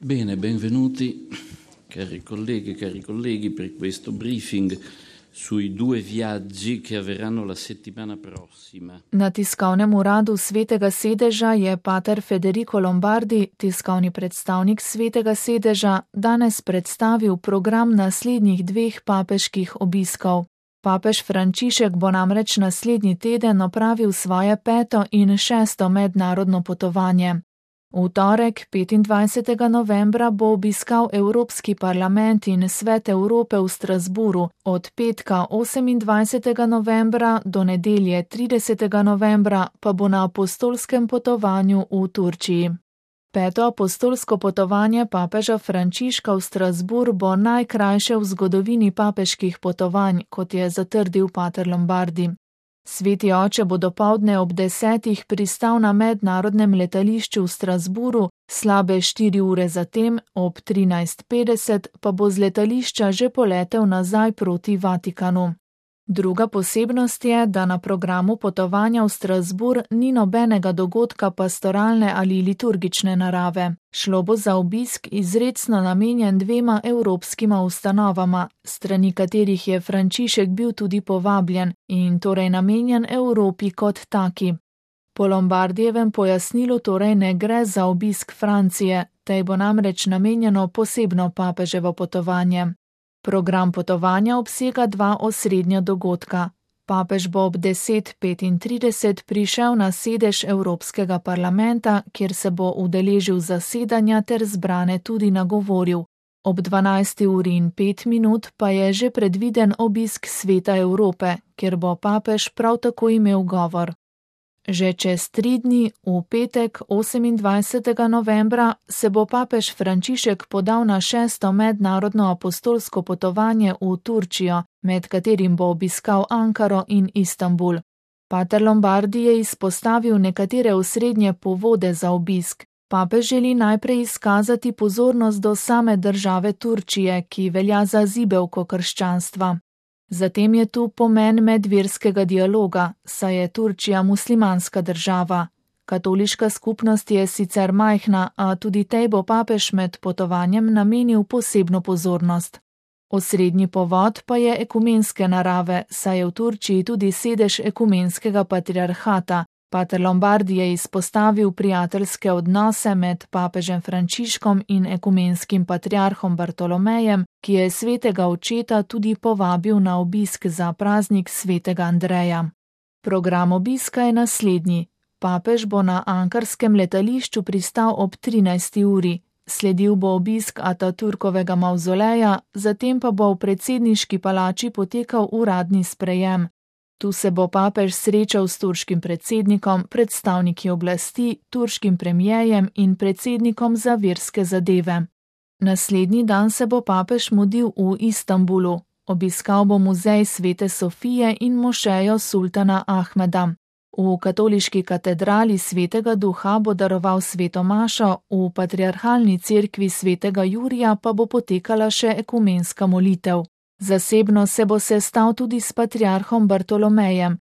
Bene, benvenuti cari colleghi per questo briefing sui 2 viaggi che avverranno la settimana prossima. Na tiskovnem uradu Svetega sedeža je pater Federico Lombardi, tiskovni predstavnik Svetega sedeža, danes predstavil program naslednjih 2 papeških obiskov. Papež Frančišek bo namreč naslednji teden opravil svoje 5. in 6. mednarodno potovanje. V torek, 25. novembra, bo obiskal Evropski parlament in Svet Evrope v Strasburu, od petka 28. novembra do nedelje 30. novembra pa bo na apostolskem potovanju v Turčiji. 5. apostolsko potovanje papeža Frančiška v Strasbourg bo najkrajše v zgodovini papeških potovanj, kot je zatrdil pater Lombardi. Sveti oče bo dopoldne ob 10. pristal na mednarodnem letališču v Strasbourgu, slabe 4 ure zatem, ob 13:50, pa bo z letališča že poletel nazaj proti Vatikanu. Druga posebnost je, da na programu potovanja v Strasbourg ni nobenega dogodka pastoralne ali liturgične narave. Šlo bo za obisk izrecno namenjen 2 evropskima ustanovama, strani katerih je Frančišek bil tudi povabljen, in torej namenjen Evropi kot taki. Po Lombardijevem pojasnilu torej ne gre za obisk Francije, tej bo namreč namenjeno posebno papeževo potovanje. Program potovanja obsega 2 osrednja dogodka. Papež bo ob 10:35 prišel na sedež Evropskega parlamenta, kjer se bo udeležil zasedanja ter zbrane tudi nagovoril. Ob 12:05 pa je že predviden obisk Sveta Evrope, kjer bo papež prav tako imel govor. Že čez 3 dni, v petek 28. novembra, se bo papež Frančišek podal na 6. mednarodno apostolsko potovanje v Turčijo, med katerim bo obiskal Ankaro in Istanbul. Pater Lombardi je izpostavil nekatere osrednje povode za obisk. Papež želi najprej izkazati pozornost do same države Turčije, ki velja za zibelko krščanstva. Zatem je tu pomen medverskega dialoga, saj je Turčija muslimanska država. Katoliška skupnost je sicer majhna, a tudi tej bo papež med potovanjem namenil posebno pozornost. Osrednji povod pa je ekumenske narave, saj je v Turčiji tudi sedež ekumenskega patriarhata. Pater Lombardi je izpostavil prijateljske odnose med papežem Frančiškom in ekumenskim patriarhom Bartolomejem, ki je svetega očeta tudi povabil na obisk za praznik svetega Andreja. Program obiska je naslednji. Papež bo na ankarskem letališču pristal ob 13. uri. Sledil bo obisk Ataturkovega mavzoleja, zatem pa bo v predsedniški palači potekal uradni sprejem. Tu se bo papež srečal s turškim predsednikom, predstavniki oblasti, turškim premierjem in predsednikom za verske zadeve. Naslednji dan se bo papež mudil v Istanbulu. Obiskal bo muzej Svete Sofije in mošejo sultana Ahmeda. V katoliški katedrali Svetega Duha bo daroval sveto mašo, v patriarhalni cerkvi Svetega Jurija pa bo potekala še ekumenska molitev. Zasebno se bo sestal tudi s patriarhom Bartolomejem.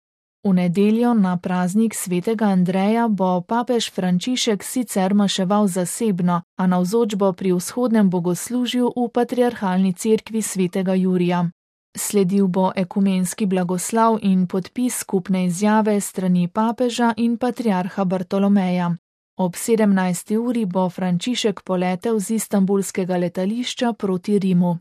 V nedeljo na praznik svetega Andreja bo papež Frančišek sicer maševal zasebno, a navzoč bo pri vzhodnem bogoslužju v patriarhalni cerkvi Svetega Jurija. Sledil bo ekumenski blagoslav in podpis skupne izjave strani papeža in patriarha Bartolomeja. Ob 17. uri bo Frančišek poletel z istanbulskega letališča proti Rimu.